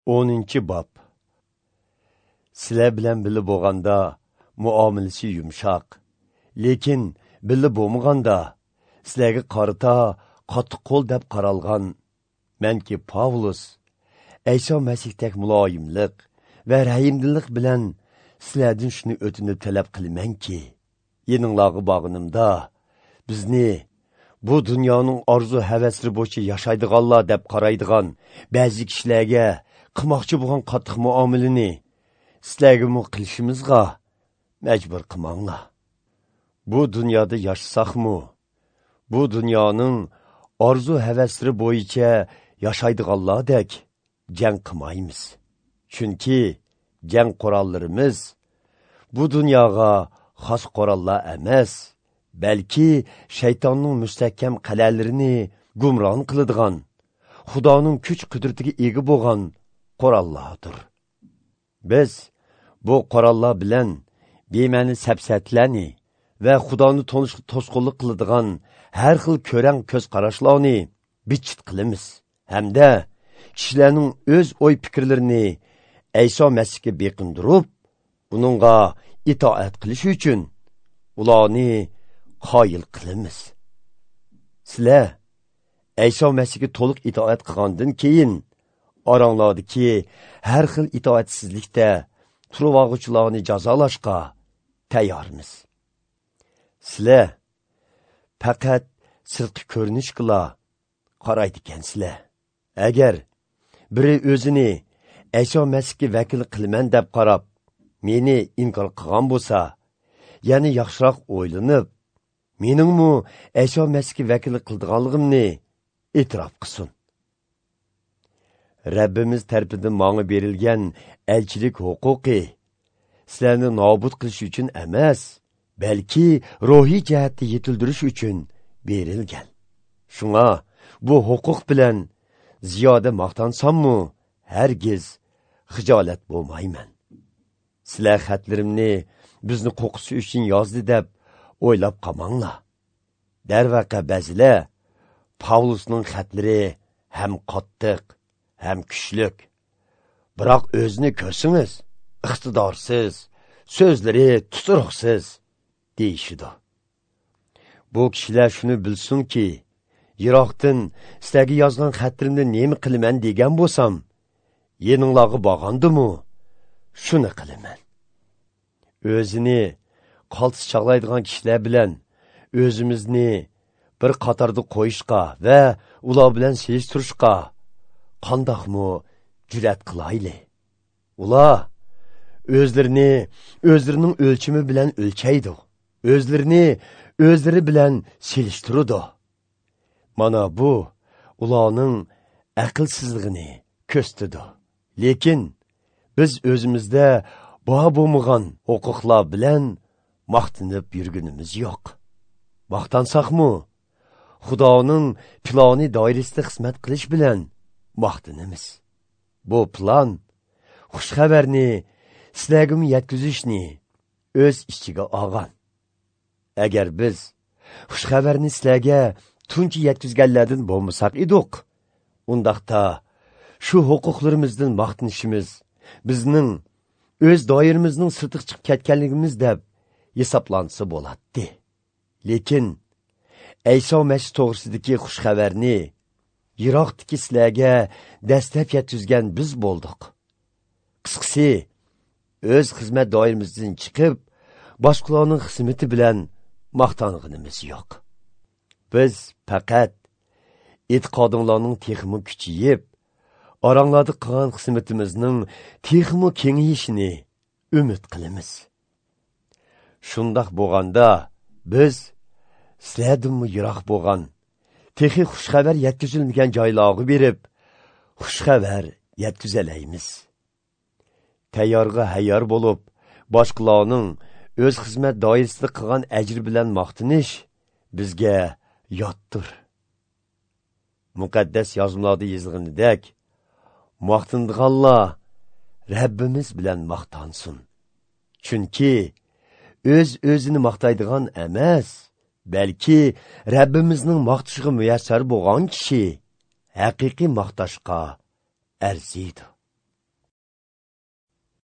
10. Bob. Sizlar bilan birga bo'lganda muomalasi yumshoq, lekin birga bo'lmaganda sizlarga qarata qattiq qo'l deb qaralgan manki Pavlus Ayso Masihdak muloyimlik va rahimdillik bilan sizlardan shuni o'tinib talab qilamanki, yeninglarga borganimda bizni bu dunyoning orzu havaslari bo'yicha yashaydiganlar deb qaraydigan ba'zi kishilarga qilmoqchi bo'lgan qattiq muomalani sizlarga qilishimizga majbur qilmanglar. Bu dunyoda yashasaqmi, bu dunyoning orzu havaslari bo'yicha yashaydiganlardek jang qilmaymiz. Chunki jang qurollarimiz bu dunyoga xos qurollar emas, balki shaytonning mustahkam qal'alarini gumron qiladigan, Xudoning kuch qudratiga ega bo'lgan qurollardir. Biz bu qurollar bilan bema'ni sapsatlarni va Xudoni tonishga to'sqinlik qiladigan har xil ko'rang ko'z qarashlarni bichit qilamiz hamda kishilarning o'z o'y fikrlarini Ayso Masihga beqindirib, uningga itoat qilish uchun ularni qoyil qilamiz. Sizlar Ayso Masihga to'liq itoat qilgandan keyin oranglardagi har xil itoatsizlikda turib olg'uvchilarni jazolashga tayyormiz. Sizlar faqat sirtqi ko'rinishga qaraydi ekansizlar. Agar biri o'zini Ayso Masihga vakil qilaman deb qarab, meni inkor qilgan bo'lsa, ya'ni yaxshiroq o'ylanib, meningmi Ayso Masihga vakil qildiganligimni e'tirof qilsin. Rabbimiz tarafidan menga berilgan elchilik huquqi sizlarni nobud qilish uchun emas, balki ruhiy jihatda yetildirish uchun berilgan. Shunga bu huquq bilan ziyoda maqtansammi, hargiz xijolat bo'lmayman. Sizlar xatlarimni bizni qo'qisi uchun yozdi deb o'ylab qolmanglar. Darvaqa ba'zilar Pavlusning xatlari ham qattiq, ham kuchlik, biroq o'zini ko'rsangiz iqtidorsiz, so'zlari tuturuqsiz deyishidi. Bu kishilar shuni bilsinki, yiroqdan sizlarga yozgan xatlarimni nima qilaman degan bo'lsam, yeninglarga borgandimu shuni qilaman. O'zini qaltis chog'laydigan kishilar bilan o'zimizni bir qatorda qo'yishga va ular bilan selishtirishga qandoqmi jur'at qilayli? Ular o'zlarini o'zlarining o'lchimi bilan o'lchaydi, o'zlarini o'zlari bilan selishtiradi. Mana bu ularning aqlsizligini ko'rsatadi. Lekin biz o'zimizda bor bo'lmagan huquqlar bilan maqtanib yurgunimiz yo'q. Maqtansaqmi, Xudoning plani doirasida xizmat qilish bilan maqtanamiz. Bu plan xush xabarni sizlarga yetkazishni o'z ichiga olgan. Agar biz xush xabarni sizlarga tunji yetkazganlardan bo'lmasak edik, undaqda shu huquqlarimizdan maqtanishimiz bizning o'z doiramizning sirtiga chiqib ketganligimiz deb hisoblansa bo'ladi. Lekin Ayso Masih to'g'risidagi xush xabarni yiroqdagi sizlarga dastlab yetkazgan biz bo'ldik. Qisqasi, o'z xizmat doiramizdan chiqib, boshqalarning xizmati bilan maqtanganimiz yo'q. Biz faqat e'tiqodinglarning texmi kuchayib, oranglarda qilgan xizmatimizning texmi kengayishini umid qilamiz. Shundoq bo'lganda biz sizlardanmi yiroq bo'lgan, texi xushxabar yetkazilmagan joylarga berib, xushxabar yetkazalaymiz. Tayyorga hayyor bo'lib, boshqalarning o'z xizmat doirasida qilgan ajr bilan maqtanish bizga yotdir. Muqaddas yozmalarda yozilganidek, maqtandiganlar Rabbimiz bilan maqtansin. Chunki o'z o'zini maqtaydigan emas, balki Rabbimizning maqtashiga muyassar bo'lgan kishi haqiqiy maqtashga arziydi.